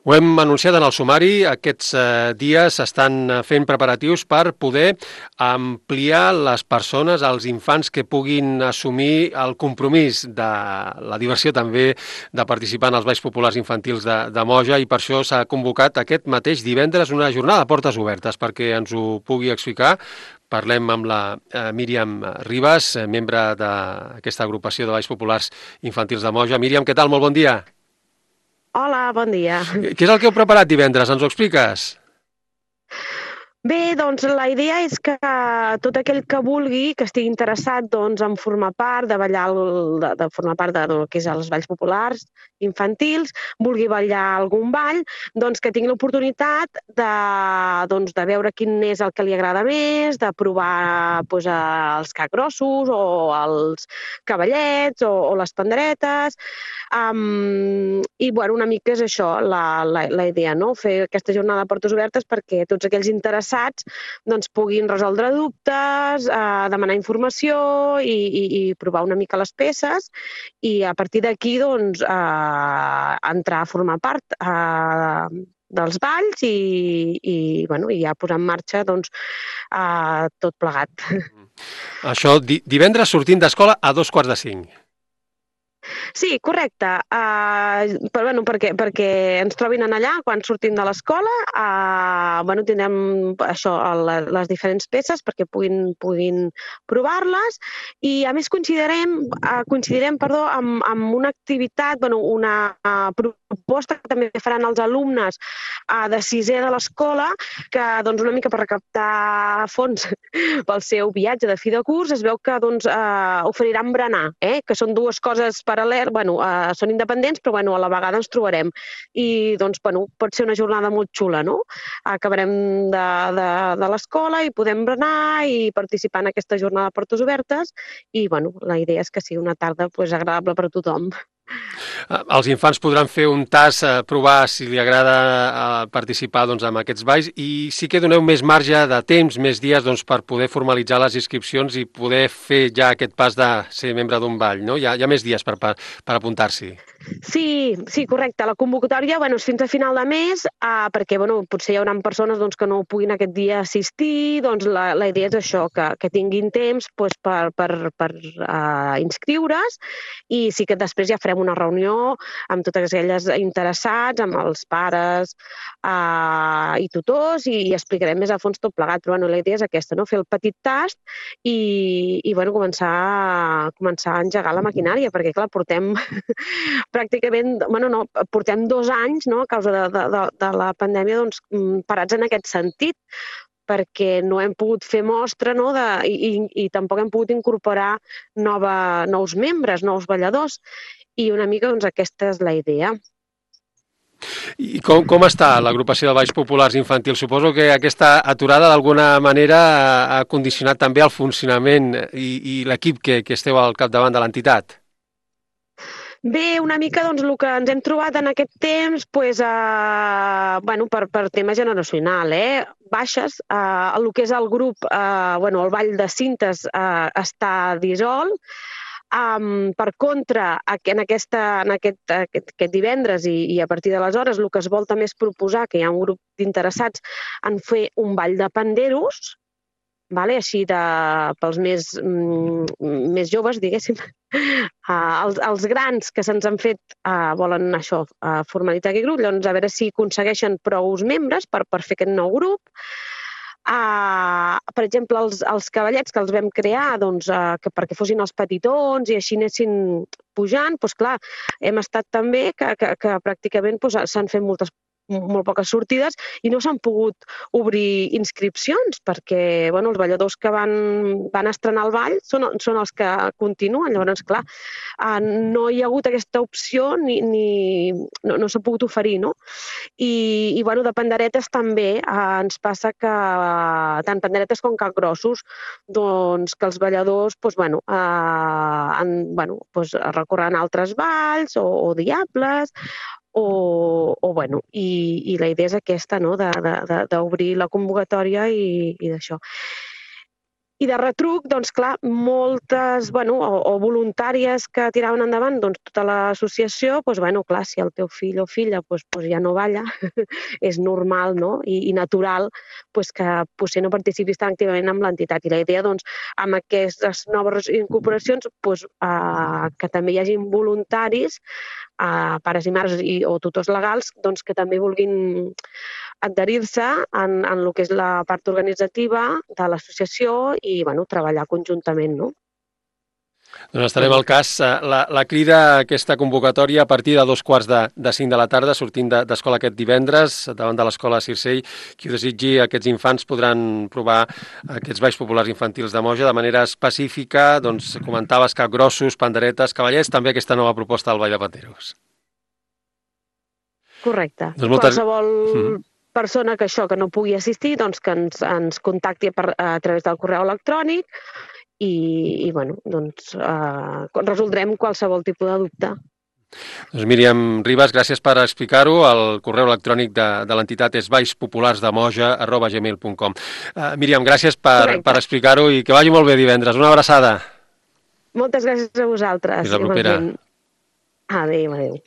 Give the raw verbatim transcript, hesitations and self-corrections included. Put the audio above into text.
Ho hem anunciat en el sumari, aquests eh, dies s'estan eh, fent preparatius per poder ampliar les persones, els infants que puguin assumir el compromís de la diversió també de participar en els balls populars infantils de, de Moja, i per això s'ha convocat aquest mateix divendres una jornada de portes obertes. Perquè ens ho pugui explicar, parlem amb la eh, Míriam Ribas, eh, membre d'aquesta agrupació de balls populars infantils de Moja. Míriam, què tal? Molt bon dia. Hola, bon dia. Què és el que heu preparat divendres? Ens ho expliques? Bé, doncs la idea és que tot aquell que vulgui, que estigui interessat doncs, en formar part de ballar, el, de, de formar part de, del que és els balls populars infantils, vulgui ballar algun ball, doncs que tingui l'oportunitat de, doncs, de veure quin és el que li agrada més, de provar doncs, els capgrossos o els cavallets o, o les panderetes. Um, I bueno, una mica és això la, la, la idea, no? Fer aquesta jornada de portes obertes perquè tots aquells interessats doncs, puguin resoldre dubtes, eh, demanar informació i, i, i provar una mica les peces, i a partir d'aquí doncs, eh, entrar a formar part eh, dels balls i, i, bueno, i ja posar en marxa doncs, eh, tot plegat. Això, di divendres sortint d'escola a dos quarts de cinc. Sí, correcte. Uh, però, bueno, perquè, perquè ens trobin en allà quan sortim de l'escola. Uh, bueno, tindrem això, la, les diferents peces perquè puguin, puguin provar-les, i a més coincidirem, uh, coincidirem perdó, amb, amb una activitat, bueno, una uh, proposta que també faran els alumnes uh, de sisè de l'escola, que doncs, una mica per recaptar fons pel seu viatge de fi de curs. Es veu que doncs, uh, oferiran berenar, eh? Que són dues coses paral·lel, bueno, uh, són independents, però bueno, a la vegada ens trobarem. I doncs, bueno, pot ser una jornada molt xula, no? Acabarem de, de, de l'escola i podem berenar i participar en aquesta jornada de portes obertes, i bueno, la idea és que sigui una tarda pues, agradable per a tothom. Els infants podran fer un tast, eh, provar si li agrada eh, participar doncs, en aquests balls, i sí que doneu més marge de temps, més dies doncs, per poder formalitzar les inscripcions i poder fer ja aquest pas de ser membre d'un ball, no? Hi ha, hi ha més dies per, per, per apuntar-s'hi. Sí, sí, correcte. La convocatòria bueno, és fins a final de mes, uh, perquè bueno, potser hi haurà persones doncs, que no puguin aquest dia assistir. Doncs la, la idea és això, que, que tinguin temps doncs, per, per, per uh, inscriure's, i sí que després ja farem una reunió amb totes aquelles interessats, amb els pares uh, i tutors, i, i explicarem més a fons tot plegat. Però bueno, la idea és aquesta, no? Fer el petit tast i, i bueno, començar, començar a engegar la maquinària, perquè clar, portem pràcticament, bueno, no, portem dos anys, no, a causa de, de, de la pandèmia, doncs, parats en aquest sentit, perquè no hem pogut fer mostra, no, de, i, i tampoc hem pogut incorporar nova, nous membres, nous balladors, i una mica doncs, aquesta és la idea. I com, com està l'agrupació de balls populars infantils? Suposo que aquesta aturada d'alguna manera ha condicionat també el funcionament i, i l'equip que, que esteu al capdavant de l'entitat. Bé, una mica doncs, el que ens hem trobat en aquest temps, pues, eh, bueno, per, per tema generacional, eh? Baixes, eh, el que és el grup, eh, bueno, el ball de cintes eh, està dissolt. Um, per contra, en, aquesta, en aquest, aquest, aquest divendres i, i a partir d'aleshores el que es vol també és proposar que hi ha un grup d'interessats en fer un ball de panderos, vale? Així de, pels més, mm, més joves, diguéssim. Uh, els, els grans que se'ns han fet uh, volen això, uh, formalitzar aquest grup, llavors a veure si aconsegueixen prou membres per, per fer aquest nou grup. Uh, per exemple, els, els cavallets que els vam crear doncs, uh, que perquè fossin els petitons i així anessin pujant, doncs clar, hem estat també que, que, que pràcticament doncs, s'han fet moltes molt poques sortides i no s'han pogut obrir inscripcions perquè bueno, els balladors que van, van estrenar el ball són, són els que continuen. Llavors, clar, uh, no hi ha hagut aquesta opció ni, ni no, no s'ha pogut oferir, no? I, i bueno, de panderetes també uh, ens passa que uh, tant panderetes com capgrossos, doncs que els balladors doncs, bueno, uh, han, bueno, doncs, recorren altres balls o, o diables, o, o bueno, i, i la idea és aquesta, no?, d'obrir la convocatòria i, i d'això. I de retruc, doncs clar, moltes, bueno, o, o voluntàries que tiraven endavant doncs, tota l'associació, doncs, bueno, clar, si el teu fill o filla doncs, doncs ja no balla, és normal, no? I, i natural doncs, que potser no participis tan activament amb l'entitat. I la idea, doncs, amb aquestes noves incorporacions, doncs, eh, que també hi hagin voluntaris, eh, pares i mares i, o tutors legals, doncs, que també vulguin adherir-se en, en el que és la part organitzativa de l'associació i bueno, treballar conjuntament, no? Doncs estarem al cas. La, la crida, aquesta convocatòria, a partir de dos quarts de, de cinc de la tarda, sortint d'escola aquest divendres, davant de l'escola Circell. Qui ho desitgi, aquests infants podran provar aquests balls populars infantils de Moja de manera específica. Doncs comentaves capgrossos, panderetes, cavallers, també aquesta nova proposta del Ball de Panderos. Correcte. Doncs moltes... Qualsevol Mm. persona que això que no pugui assistir, doncs que ens, ens contacti per, a través del correu electrònic i, i bueno, doncs eh, resoldrem qualsevol tipus de dubte. Doncs Míriam Ribas, gràcies per explicar-ho. El correu electrònic de, de l'entitat és ballspopulardemoja arroba gmail punt com. Uh, Míriam, gràcies per, per explicar-ho i que vagi molt bé divendres. Una abraçada. Moltes gràcies a vosaltres. Fins la propera. Adéu, adéu.